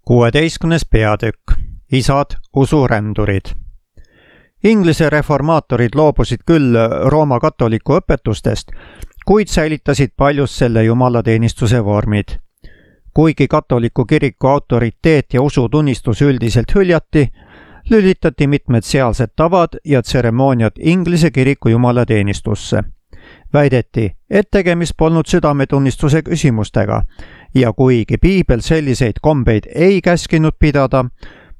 16. peatükk. Isad usurändurid. Inglise reformaatorid loobusid küll Rooma katoliku õpetustest, kuid säilitasid paljus selle jumalateenistuse vormid. Kuigi katoliku kiriku autoriteet ja usutunnistus üldiselt hüljati, lülitati mitmed sealsed tavad ja tseremooniad Inglise kiriku jumalateenistusse. Väideti, et tegemist polnud südametunnistuse küsimustega ja kuigi piibel selliseid kombeid ei käskinud pidada,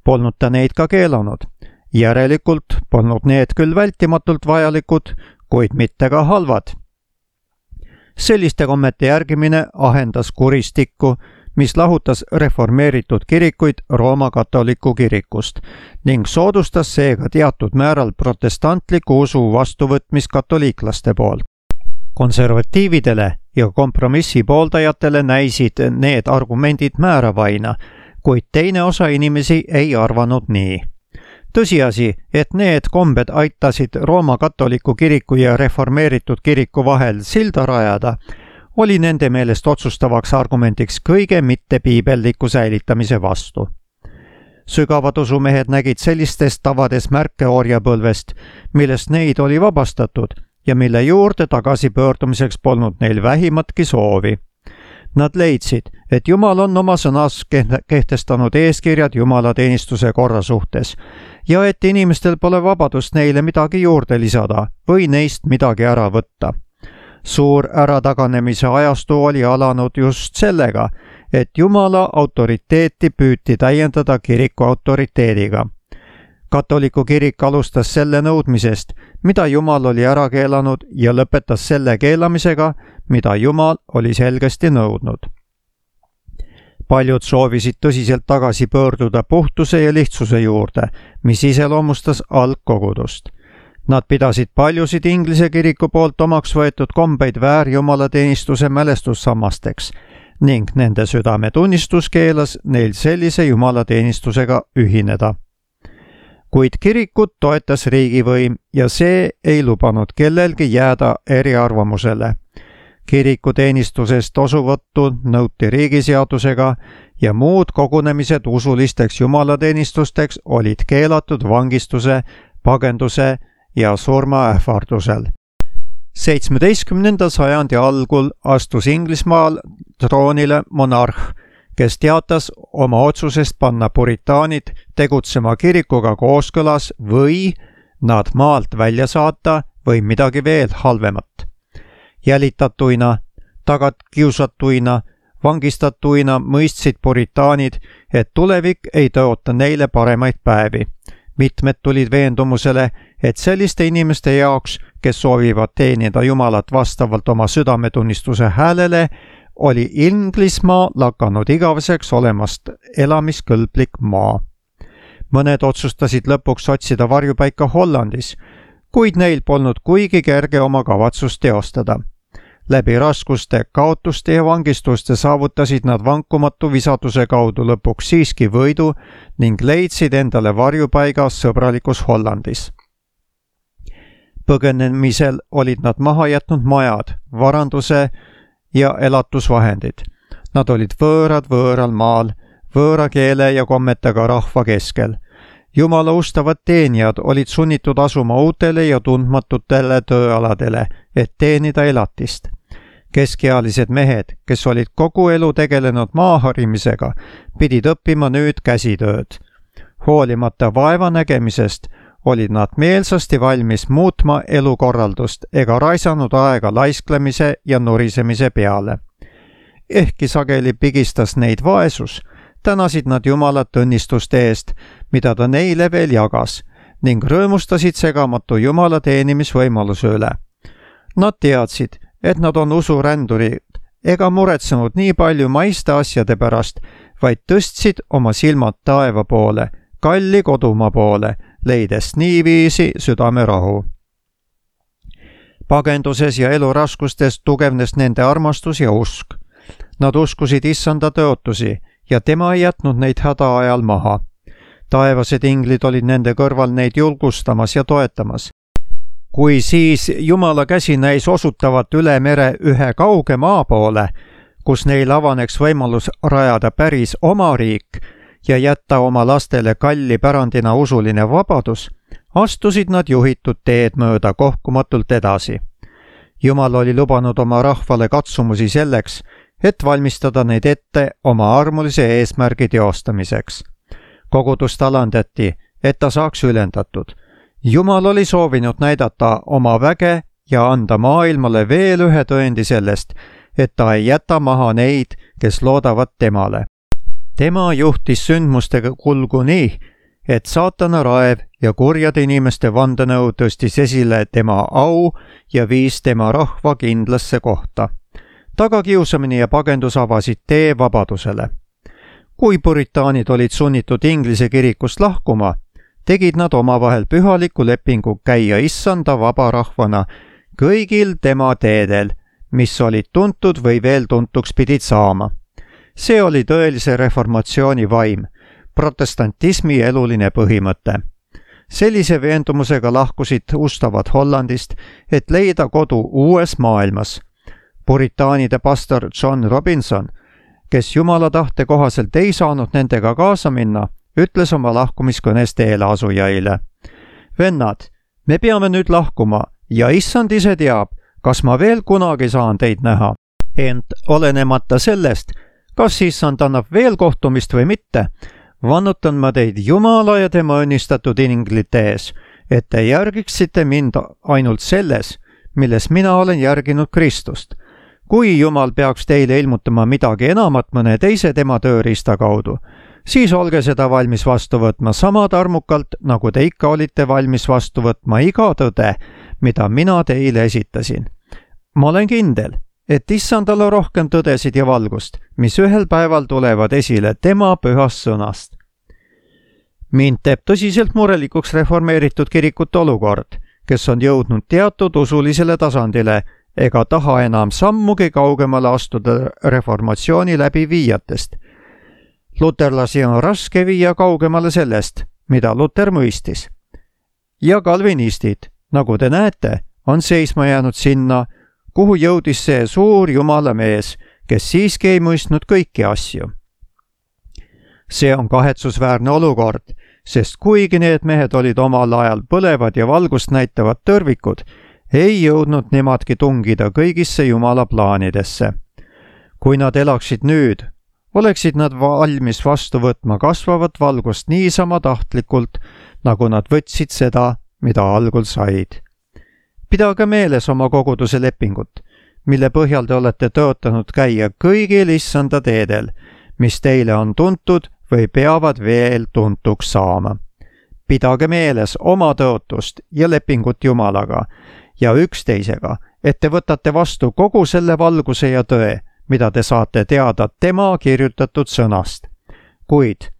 polnud ta neid ka keelanud. Järelikult polnud need küll vältimatult vajalikud, kuid mitte ka halvad. Selliste kommete järgimine ahendas kuristikku, mis lahutas reformeeritud kirikuid Rooma katoliku kirikust ning soodustas seega teatud määral protestantliku usu vastuvõtmist katoliiklaste poolt. Konservatiividele ja kompromissi pooldajatele näisid need argumendid määravaina, kuid teine osa inimesi ei arvanud nii. Tõsiasi, et need kombed aitasid Rooma katoliku kiriku ja reformeeritud kiriku vahel silda rajada, oli nende meelest otsustavaks argumendiks kõige mittepiibelliku säilitamise vastu. Sügavad usumehed nägid sellistes tavades märke orjapõlvest, millest neid oli vabastatud ja mille juurde tagasipöördumiseks polnud neil vähimatki soovi. Nad leidsid, et Jumal on oma sõnas kehtestanud eeskirjad jumalateenistuse korra suhtes ja et inimestel pole vabadust neile midagi juurde lisada või neist midagi ära võtta. Suur ärataganemise ajastu oli alanud just sellega, et Jumala autoriteeti püüti täiendada kiriku autoriteediga. Katoliku kirik alustas selle nõudmisest, mida Jumal oli ära keelanud ja lõpetas selle keelamisega, mida Jumal oli selgesti nõudnud. Paljud soovisid tõsiselt tagasi pöörduda puhtuse ja lihtsuse juurde, mis iseloomustas algkogudust. Nad pidasid paljusid Inglise kiriku poolt omaks võetud kombeid väärjumalateenistuse mälestussammasteks ning nende südametunnistus keelas neil sellise jumalateenistusega ühineda. Kuid kirikut toetas riigivõim ja see ei lubanud kellelgi jääda eriarvamusele. Kirikuteenistusest osuvõttu nõuti riigiseadusega ja muud kogunemised usulisteks jumalateenistusteks olid keelatud vangistuse, pagenduse ja surmaähvardusel. 17. sajandi algul astus Inglismaal troonile monarh, kes teatas oma otsusest panna puritaanid tegutsema kirikuga kooskõlas või nad maalt välja saata või midagi veel halvemat. Jälitatuina, tagakiusatuina, vangistatuina mõistsid puritaanid, et tulevik ei tõota neile paremaid päevi. Mitmed tulid veendumusele, et selliste inimeste jaoks, kes soovivad teenida Jumalat vastavalt oma südametunnistuse häälele, oli Inglismaa lakanud igaveseks olemast elamiskõlblik maa. Mõned otsustasid lõpuks otsida varjupaika Hollandis, kuid neil polnud kuigi kerge oma kavatsust teostada. Läbi raskuste, kaotuste ja vangistuste saavutasid nad vankumatu visaduse kaudu lõpuks siiski võidu ning leidsid endale varjupaiga sõbralikus Hollandis. Põgenemisel olid nad maha jätnud majad, varanduse ja elatusvahendid. Nad olid võõrad võõral maal, võõra keele ja kommetega rahva keskel. Jumala ustavad teenijad olid sunnitud asuma uutele ja tundmatutele tööaladele, et teenida elatist. Keskealised mehed, kes olid kogu elu tegelenud maaharimisega, pidid õppima nüüd käsitööd. Hoolimata vaeva nägemisest olid nad meelsasti valmis muutma elukorraldust ega raisanud aega laisklemise ja nurisemise peale. Ehkki sageli pigistas neid vaesus, tänasid nad Jumalat õnnistuste eest, mida ta neile veel jagas, ning rõõmustasid segamatu Jumala teenimisvõimaluse üle. Nad teadsid, et nad on usurändurid ega muretsenud nii palju maiste asjade pärast, vaid tõstsid oma silmad taeva poole, kalli kodumaa poole, leides niiviisi südamerahu. Pagenduses ja eluraskustes tugevnes nende armastus ja usk. Nad uskusid issanda tõotusi ja tema ei jätnud neid häda ajal maha. Taevased inglid olid nende kõrval neid julgustamas ja toetamas. Kui siis Jumala käsi näis osutavat üle mere ühe kauge maa poole, kus neil avaneks võimalus rajada päris oma riik ja jätta oma lastele kalli pärandina usuline vabadus, astusid nad juhitud teed mööda kohkumatult edasi. Jumal oli lubanud oma rahvale katsumusi selleks, et valmistada neid ette oma armulise eesmärgi teostamiseks. Kogudust alandati, et ta saaks ülendatud. Jumal oli soovinud näidata oma väge ja anda maailmale veel ühe tõendi sellest, et ta ei jäta maha neid, kes loodavad temale. Tema juhtis sündmustega kulgu nii, et saatana raev ja kurjade inimeste vandenõu tõstis esile tema au ja viis tema rahva kindlasse kohta. Tagakiusamine ja pagendus avasid tee vabadusele. Kui puritaanid olid sunnitud Inglise kirikust lahkuma, tegid nad omavahel pühaliku lepingu käia issanda vaba rahvana kõigil tema teedel, mis olid tuntud või veel tuntuks pidid saama. See oli tõelise reformatsiooni vaim, protestantismi eluline põhimõte. Sellise veendumusega lahkusid ustavad Hollandist, et leida kodu uues maailmas. Puritaanide pastor John Robinson, kes Jumala tahte kohaselt ei saanud nendega kaasa minna, ütles oma lahkumiskõnes teeleasujaile: "Vennad, me peame nüüd lahkuma ja issand ise teab, kas ma veel kunagi saan teid näha. Ent olenemata sellest, kas issand annab veel kohtumist või mitte, vannutan ma teid Jumala ja tema õnnistatud inglite ees, et te järgiksite mind ainult selles, milles mina olen järginud Kristust. Kui Jumal peaks teile ilmutama midagi enamat mõne teise tema tööriista kaudu, siis olge seda valmis vastu võtma sama tarmukalt, nagu te ikka olite valmis vastu võtma iga tõde, mida mina teile esitasin. Ma olen kindel, et issandal on rohkem tõdesid ja valgust, mis ühel päeval tulevad esile tema pühast sõnast." Mind teeb tõsiselt murelikuks reformeeritud kirikute olukord, kes on jõudnud teatud usulisele tasandile ega taha enam sammugi kaugemale astuda reformatsiooni läbiviijatest. Luterlasi on raske viia kaugemale sellest, mida Luter mõistis. Ja kalvinistid, nagu te näete, on seisma jäänud sinna, kuhu jõudis see suur Jumala mees, kes siiski ei mõistnud kõiki asju. See on kahetsusväärne olukord, sest kuigi need mehed olid omal ajal põlevad ja valgust näitavad tõrvikud, ei jõudnud nemadki tungida kõigisse Jumala plaanidesse. Kui nad elaksid nüüd, oleksid nad valmis vastu võtma kasvavat valgust niisama tahtlikult, nagu nad võtsid seda, mida algul said. Pidage meeles oma koguduse lepingut, mille põhjal te olete tõotanud käia kõigil issanda teedel, mis teile on tuntud või peavad veel tuntuks saama. Pidage meeles oma tõotust ja lepingut Jumalaga ja üksteisega, et te võtate vastu kogu selle valguse ja tõe, mida te saate teada tema kirjutatud sõnast. Kuid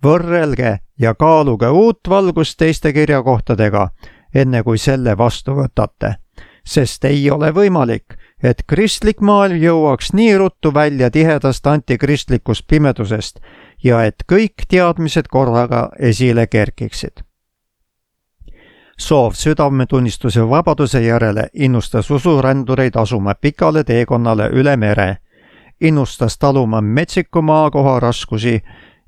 võrrelge ja kaaluge uut valgust teiste kirjakohtadega, enne kui selle vastu võtate, sest ei ole võimalik, et kristlik maailm jõuaks nii ruttu välja tihedast antikristlikust pimedusest ja et kõik teadmised korraga esile kerkiksid. Soov südametunnistuse vabaduse järele innustas usurändureid asuma pikale teekonnale üle mere, innustas taluma metsiku maakoha raskusi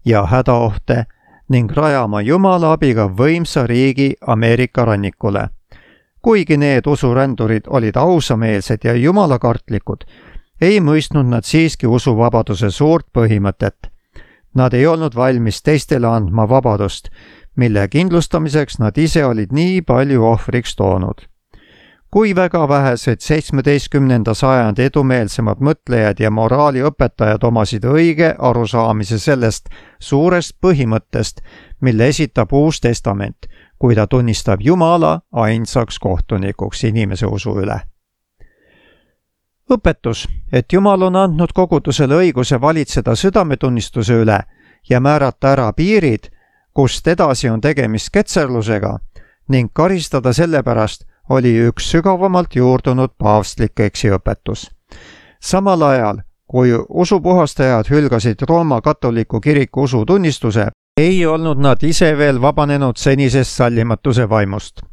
ja hädaohte ning rajama Jumala abiga võimsa riigi Ameerika rannikule. Kuigi need usurändurid olid ausameelsed ja jumalakartlikud, ei mõistnud nad siiski usuvabaduse suurt põhimõtet. Nad ei olnud valmis teistele andma vabadust, mille kindlustamiseks nad ise olid nii palju ohvriks toonud. Kui väga vähesed 17. sajandi edumeelsemad mõtlejad ja moraaliõpetajad omasid õige arusaamise sellest suurest põhimõttest, mille esitab Uus Testament, kui ta tunnistab Jumala ainsaks kohtunikuks inimese usu üle. Õpetus, et Jumal on andnud kogudusele õiguse valitseda südametunnistuse üle ja määrata ära piirid, kust edasi on tegemist ketserlusega ning karistada sellepärast, oli üks sügavamalt juurdunud paavstlik eksiõpetus. Samal ajal, kui usupuhastajad hülgasid Rooma katoliku kiriku usutunnistuse, ei olnud nad ise veel vabanenud senisest sallimatuse vaimust.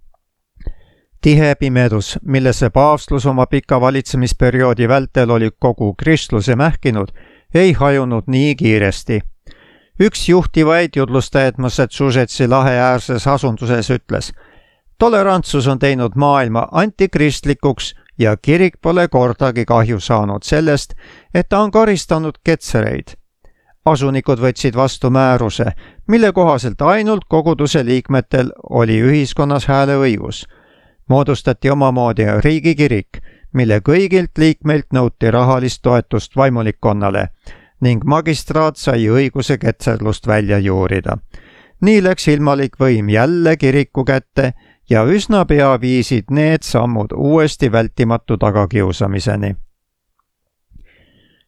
Tihe pimedus, millesse paavstlus oma pika valitsemisperioodi vältel oli kogu kristluse mähkinud, ei hajunud nii kiiresti. Üks juhtivaid jutlustajaid Massachusettsi lahe äärses asunduses ütles: tolerantsus on teinud maailma antikristlikuks ja kirik pole kordagi kahju saanud sellest, et ta on karistanud ketsereid. Asunikud võtsid vastu määruse, mille kohaselt ainult koguduse liikmetel oli ühiskonnas hääleõigus. Moodustati omamoodi riigikirik, mille kõigilt liikmeilt nõuti rahalist toetust vaimulikkonnale ning magistraat sai õiguse ketserlust välja juurida. Nii läks ilmalik võim jälle kiriku kätte ja üsna pea viisid need sammud uuesti vältimatu tagakiusamiseni.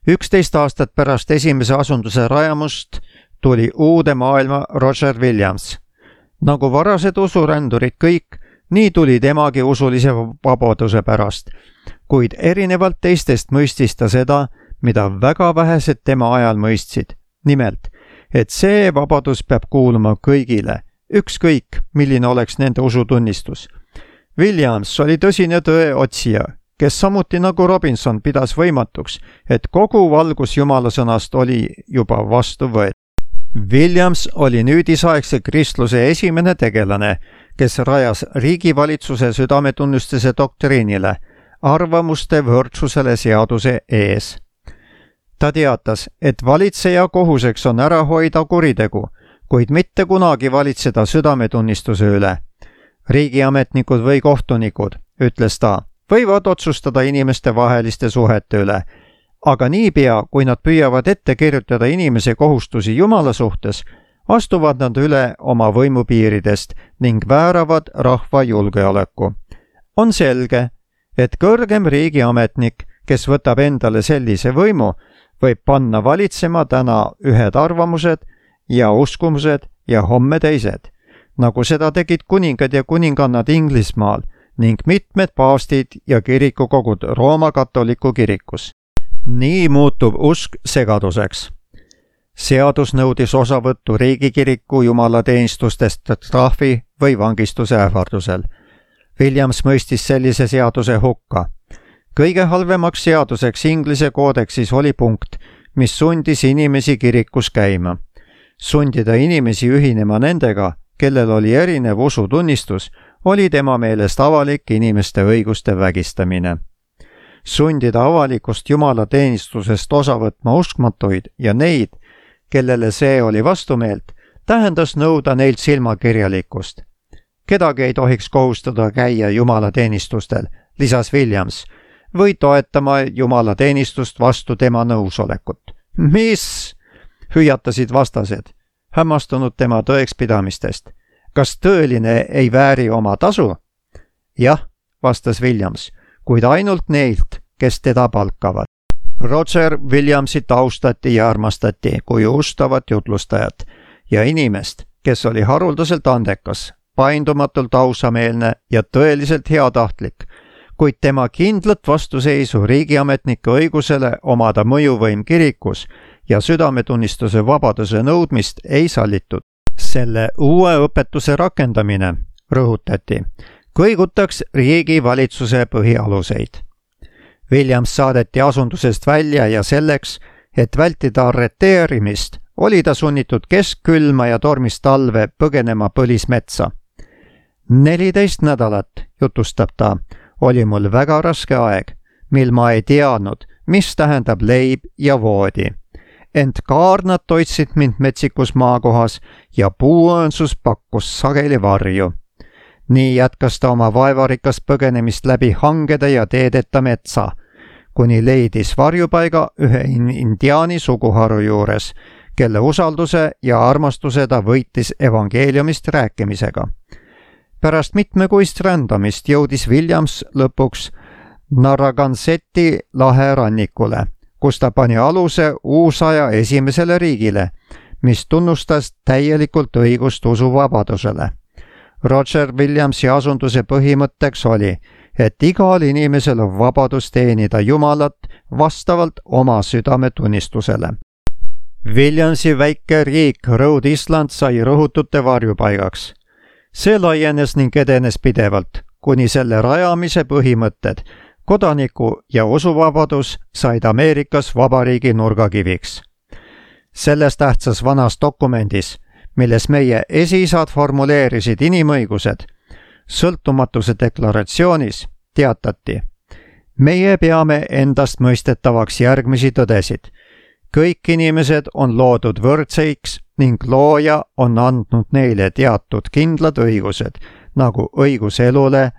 11 aastat pärast esimese asunduse rajamust tuli uude maailma Roger Williams. Nagu varased usurändurid kõik, nii tuli temagi usulise vabaduse pärast, kuid erinevalt teistest mõistis ta seda, mida väga vähesed tema ajal mõistsid. Nimelt, et see vabadus peab kuuluma kõigile, ükskõik, milline oleks nende usutunnistus. Williams oli tõsine tõe otsija, kes samuti nagu Robinson pidas võimatuks, et kogu valgus Jumala sõnast oli juba vastu võetud. Williams oli nüüdisaegse kristluse esimene tegelane, kes rajas riigivalitsuse südametunnistuse doktriinile, arvamuste võrdsusele seaduse ees. Ta teatas, et valitseja kohuseks on ära hoida kuritegu, kuid mitte kunagi valitseda südametunnistuse üle. Riigiametnikud või kohtunikud, ütles ta, võivad otsustada inimeste vaheliste suhete üle, aga niipea, kui nad püüavad ette kirjutada inimese kohustusi Jumala suhtes, astuvad nad üle oma võimupiiridest ning vääravad rahva julgeoleku. On selge, et kõrgem riigiametnik, kes võtab endale sellise võimu, võib panna valitsema täna ühed arvamused ja uskumused ja homme teised, nagu seda tegid kuningad ja kuningannad Inglismaal ning mitmed paavstid ja kirikukogud Rooma katoliku kirikus. Nii muutub usk segaduseks. Seadus nõudis osavõttu riigikiriku jumalateenistustest trahvi või vangistuse ähvardusel. Williams mõistis sellise seaduse hukka. Kõige halvemaks seaduseks Inglise koodeksis oli punkt, mis sundis inimesi kirikus käima. Sundida inimesi ühinema nendega, kellel oli erinev usutunnistus, oli tema meelest avalik inimeste õiguste vägistamine. Sundida avalikust jumalateenistusest osa võtma uskmatuid ja neid, kellele see oli vastumeelt, tähendas nõuda neilt silmakirjalikkust. Kedagi ei tohiks kohustada käia jumalateenistustel, lisas Williams, või toetama jumalateenistust vastu tema nõusolekut. Mis? Hüüatasid vastased, hämmastunud tema tõekspidamistest. Kas tõeline ei vääri oma tasu? Jah, vastas Williams, kuid ainult neilt, kes teda palkavad. Roger Williamsit austati ja armastati kui ustavat jutlustajat ja inimest, kes oli haruldaselt andekas, paindumatult ausameelne ja tõeliselt heatahtlik, kuid tema kindlat vastuseisu riigiametnike õigusele omada mõjuvõim kirikus ja südametunnistuse vabaduse nõudmist ei sallitud. Selle uue õpetuse rakendamine, rõhutati, kõigutaks riigivalitsuse põhialuseid. Williams saadeti asundusest välja ja selleks, et vältida arreteerimist, oli ta sunnitud keskkülma ja tormist talve põgenema põlismetsa. 14 nädalat, jutustab ta, oli mul väga raske aeg, mil ma ei teadnud, mis tähendab leib ja voodi. Ent kaarnad toitsid mind metsikus maakohas ja puuõõnsus pakkus sageli varju. Nii jätkas ta oma vaevarikast põgenemist läbi hangede ja teedeta metsa, kuni leidis varjupaiga ühe indiaani suguharu juures, kelle usalduse ja armastuse ta võitis evangeeliumist rääkimisega. Pärast mitmekuist rändamist jõudis Williams lõpuks Narragansetti lahe rannikule, kus ta pani aluse uusaja esimesele riigile, mis tunnustas täielikult õigust usuvabadusele. Roger Williamsi asunduse põhimõtteks oli, et igal inimesel on vabadus teenida Jumalat vastavalt oma südametunnistusele. Williamsi väike riik Rhode Island sai rõhutute varjupaigaks. See laienes ning edenes pidevalt, kuni selle rajamise põhimõtted, kodaniku- ja usuvabadus said Ameerikas vabariigi nurgakiviks. Selles tähtsas vanas dokumendis, milles meie esiisad formuleerisid inimõigused, sõltumatuse deklaratsioonis teatati: meie peame endastmõistetavaks järgmisi tõdesid. Kõik inimesed on loodud võrdseiks ning looja on andnud neile teatud kindlad õigused, nagu õigus elule,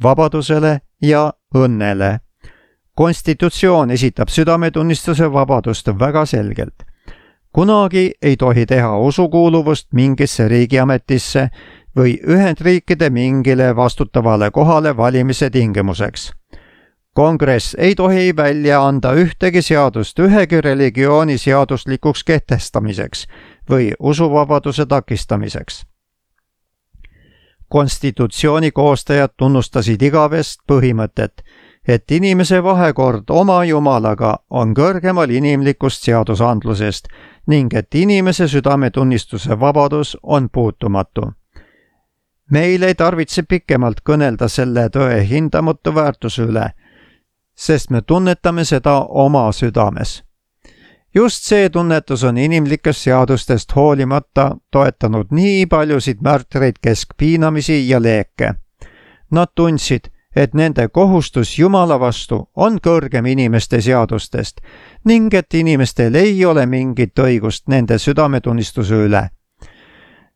vabadusele ja õnnele. Konstitutsioon esitab südametunnistuse vabadust väga selgelt. Kunagi ei tohi teha usukuuluvust mingisse riigiametisse või Ühendriikide mingile vastutavale kohale valimise tingimuseks. Kongress ei tohi välja anda ühtegi seadust ühegi religiooni seaduslikuks kehtestamiseks või usuvabaduse takistamiseks. Konstitutsiooni koostajad tunnustasid igavest põhimõtet, et inimese vahekord oma Jumalaga on kõrgemal inimlikust seadusandlusest ning et inimese südametunnistuse vabadus on puutumatu. Meil ei tarvitse pikemalt kõnelda selle tõe hindamatu väärtuse üle, sest me tunnetame seda oma südames. Just see tunnetus on inimlikest seadustest hoolimata toetanud nii paljusid märtreid keskpiinamisi ja leeke. Nad tundsid, et nende kohustus Jumala vastu on kõrgem inimeste seadustest ning et inimestel ei ole mingit õigust nende südametunnistuse üle.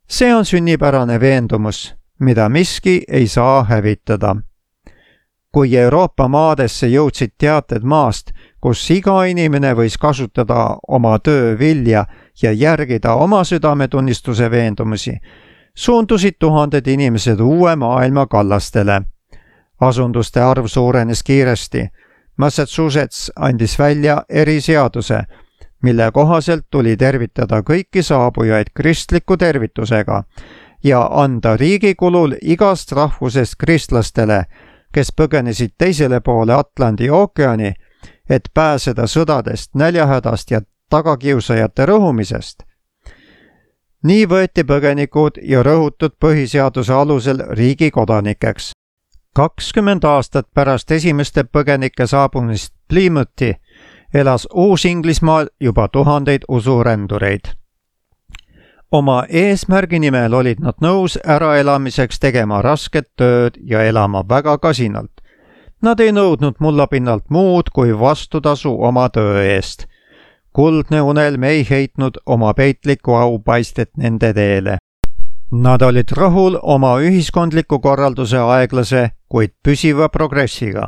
See on sünnipärane veendumus, mida miski ei saa hävitada. Kui Euroopa maadesse jõudsid teated maast, kus iga inimene võis kasutada oma töö vilja ja järgida oma südametunnistuse veendumusi, suundusid tuhanded inimesed uue maailma kallastele. Asunduste arv suurenes kiiresti. Massachusetts andis välja eriseaduse, mille kohaselt tuli tervitada kõiki saabujaid kristliku tervitusega ja anda riigi kulul igast rahvusest kristlastele, kes põgenesid teisele poole Atlandi ookeani, et pääseda sõdadest, näljahädast ja tagakiusajate rõhumisest. Nii võeti põgenikud ja rõhutud põhiseaduse alusel riigi kodanikeks. 20 aastat pärast esimeste põgenike saabumist Plymouthi elas Uus-Inglismaal juba tuhandeid usurändureid. Oma eesmärgi nimel olid nad nõus äraelamiseks tegema rasket tööd ja elama väga kasinalt. Nad ei nõudnud mullapinnalt muud kui vastutasu oma töö eest. Kuldne unelm ei heitnud oma peitlikku aupaistet nende teele. Nad olid rahul oma ühiskondliku korralduse aeglase, kuid püsiva progressiga.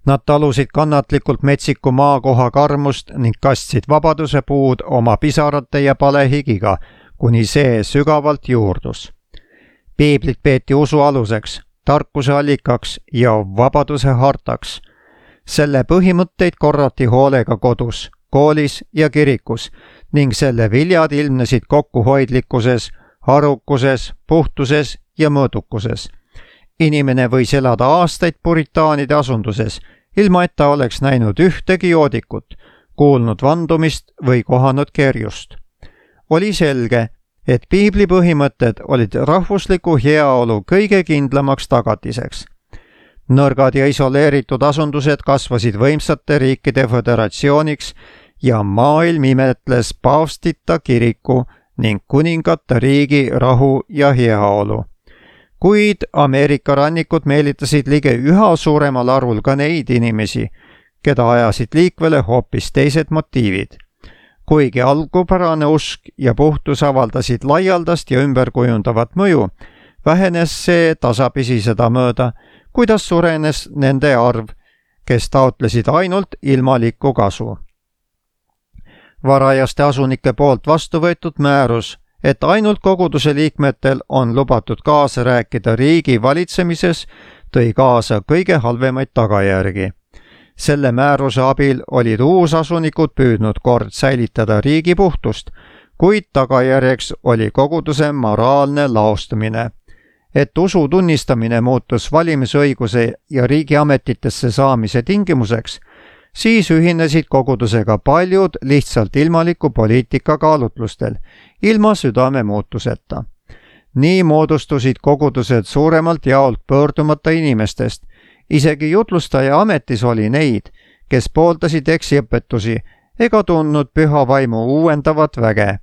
Nad talusid kannatlikult metsiku maakoha karmust ning kastsid vabaduse puud oma pisarate ja palehigiga, kuni see sügavalt juurdus. Piiblit peeti usu aluseks, tarkuse allikaks ja vabaduse hartaks. Selle põhimõtteid korrati hoolega kodus, koolis ja kirikus ning selle viljad ilmnesid kokkuhoidlikkuses, arukuses, puhtuses ja mõõdukuses. Inimene võis elada aastaid puritaanide asunduses, ilma et ta oleks näinud ühtegi joodikut, kuulnud vandumist või kohanud kerjust. Oli selge, et piibli põhimõtted olid rahvusliku heaolu kõige kindlamaks tagatiseks. Nõrgad ja isoleeritud asundused kasvasid võimsate riikide föderatsiooniks ja maailm imetles paavstita kiriku ning kuningata riigi rahu ja heaolu. Kuid Ameerika rannikud meelitasid ligi üha suuremal arvul ka neid inimesi, keda ajasid liikvele hoopis teised motiivid. Kuigi algupärane usk ja puhtus avaldasid laialdast ja ümberkujundavat mõju, vähenes see tasapisi seda mööda, kuidas suurenes nende arv, kes taotlesid ainult ilmalikku kasu. Varajaste asunike poolt vastu võetud määrus, et ainult koguduse liikmetel on lubatud kaasa rääkida riigi valitsemises, tõi kaasa kõige halvemaid tagajärgi. Selle määruse abil olid uusasunikud püüdnud kord säilitada riigi puhtust, kuid tagajärjeks oli koguduse moraalne laostumine. Et usu tunnistamine muutus valimisõiguse ja riigiametitesse saamise tingimuseks, siis ühinesid kogudusega paljud lihtsalt ilmaliku poliitika kaalutlustel, ilma südame muutuseta. Nii moodustusid kogudused suuremalt jaolt pöördumata inimestest. Isegi jutlustaja ametis oli neid, kes pooldasid eksiõpetusi, ega tundnud püha vaimu uuendavat väge.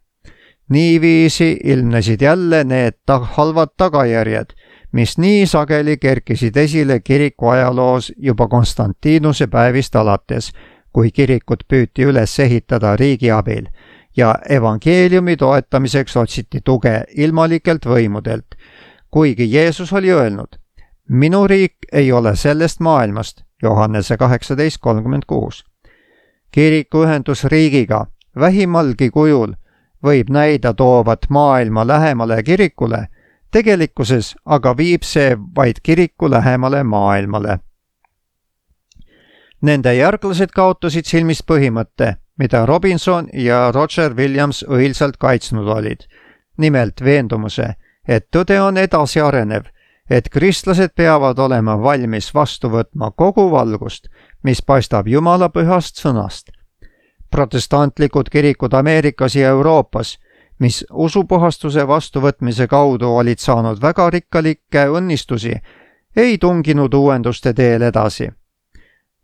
Niiviisi ilmnesid jälle need halvad tagajärjed, mis nii sageli kerkisid esile kiriku ajaloos juba Konstantinuse päevist alates, kui kirikut püüti üles ehitada riigi abil ja evangeeliumi toetamiseks otsiti tuge ilmalikelt võimudelt, kuigi Jeesus oli öelnud: "Minu riik ei ole sellest maailmast", Johannese 18:36. Kiriku ühendus riigiga vähimalgi kujul võib näida toovat maailma lähemale kirikule, tegelikkuses aga viib see vaid kiriku lähemale maailmale. Nende järglased kaotasid silmist põhimõtte, mida Robinson ja Roger Williams õilsalt kaitsnud olid. Nimelt veendumuse, et tõde on edasiarenev, et kristlased peavad olema valmis vastu võtma kogu valgust, mis paistab Jumala pühast sõnast. Protestantlikud kirikud Ameerikas ja Euroopas, mis usupuhastuse vastuvõtmise kaudu olid saanud väga rikkalikke õnnistusi, ei tunginud uuenduste teel edasi.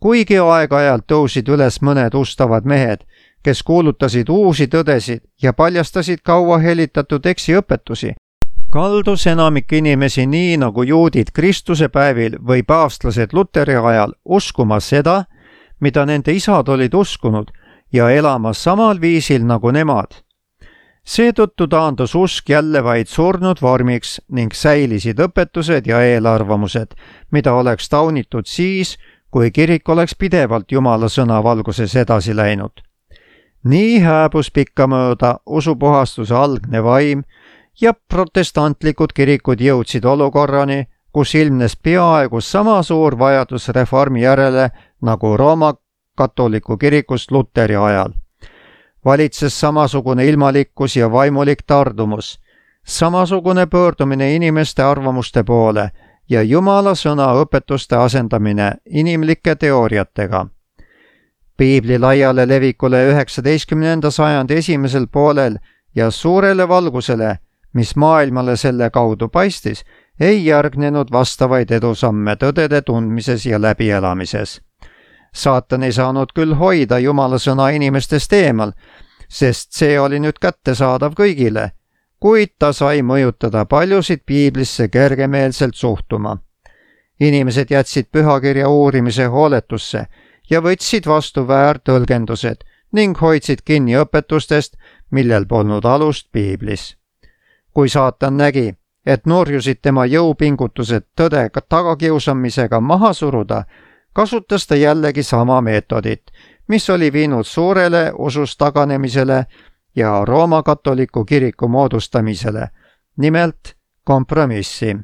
Kuigi aeg-ajalt tõusid üles mõned ustavad mehed, kes kuulutasid uusi tõdesid ja paljastasid kaua helitatud eksiõpetusi, kaldus enamik inimesi nii nagu juudid Kristuse päevil või paavstlased Luteri ajal uskuma seda, mida nende isad olid uskunud, ja elama samal viisil nagu nemad. Seetõttu taandus usk jälle vaid surnud vormiks ning säilisid õpetused ja eelarvamused, mida oleks taunitud siis, kui kirik oleks pidevalt Jumala sõna valguses edasi läinud. Nii hääbus pikkamööda usupuhastuse algne vaim ja protestantlikud kirikud jõudsid olukorrani, kus ilmnes peaaegu sama suur vajadus reformi järele nagu Rooma katoliku kirikust Luteri ajal. Valitses samasugune ilmalikkus ja vaimulik tardumus, samasugune pöördumine inimeste arvamuste poole ja Jumala sõna õpetuste asendamine inimlike teooriatega. Piibli laiale levikule 19. sajandi esimesel poolel ja suurele valgusele, mis maailmale selle kaudu paistis, ei järgnenud vastavaid edusamme tõdede tundmises ja läbielamises. Saatan ei saanud küll hoida Jumala sõna inimestest eemal, sest see oli nüüd kättesaadav kõigile, kuid ta sai mõjutada paljusid piiblisse kergemeelselt suhtuma. Inimesed jätsid pühakirja uurimise hooletusse ja võtsid vastu väärtõlgendused ning hoidsid kinni õpetustest, millel polnud alust piiblis. Kui saatan nägi, et nurjusid tema jõupingutused tõde tagakiusamisega maha suruda, kasutas ta jällegi sama meetodit, mis oli viinud suurele usust taganemisele ja Rooma katoliku kiriku moodustamisele, nimelt kompromissi.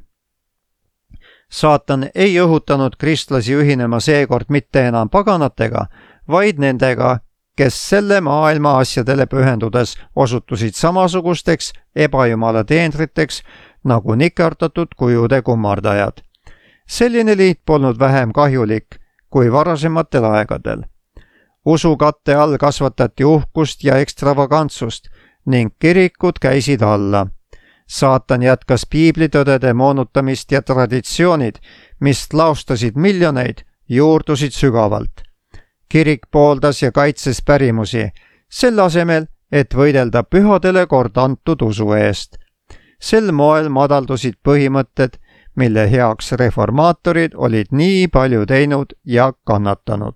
Saatan ei õhutanud kristlasi ühinema seekord mitte enam paganatega, vaid nendega, kes selle maailma asjadele pühendudes osutusid samasugusteks ebajumala teenriteks nagu nikerdatud kujude kummardajad. Selline liit polnud vähem kahjulik kui varasematel aegadel. Usukatte all kasvatati uhkust ja ekstravagantsust ning kirikud käisid alla. Saatan jätkas piiblitõdede moonutamist ja traditsioonid, mis laostasid miljoneid, juurdusid sügavalt. Kirik pooldas ja kaitses pärimusi, selle asemel, et võidelda pühadele kord antud usu eest. Sel moel madaldusid põhimõtted, mille heaks reformaatorid olid nii palju teinud ja kannatanud.